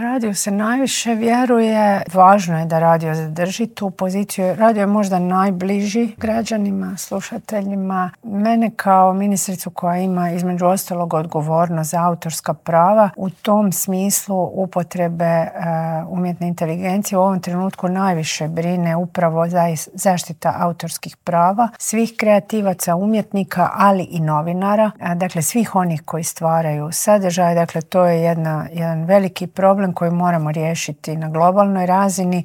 Radio se najviše vjeruje, važno je da radio zadrži tu poziciju. Radio je možda najbliži građanima, slušateljima. Mene kao ministricu koja ima između ostalog odgovornost za autorska prava, u tom smislu upotrebe umjetne inteligencije u ovom trenutku najviše brine upravo zaštita autorskih prava svih kreativaca, umjetnika, ali i novinara. Dakle, svih onih koji stvaraju sadržaj. Dakle, to je jedan veliki problem koji moramo riješiti na globalnoj razini.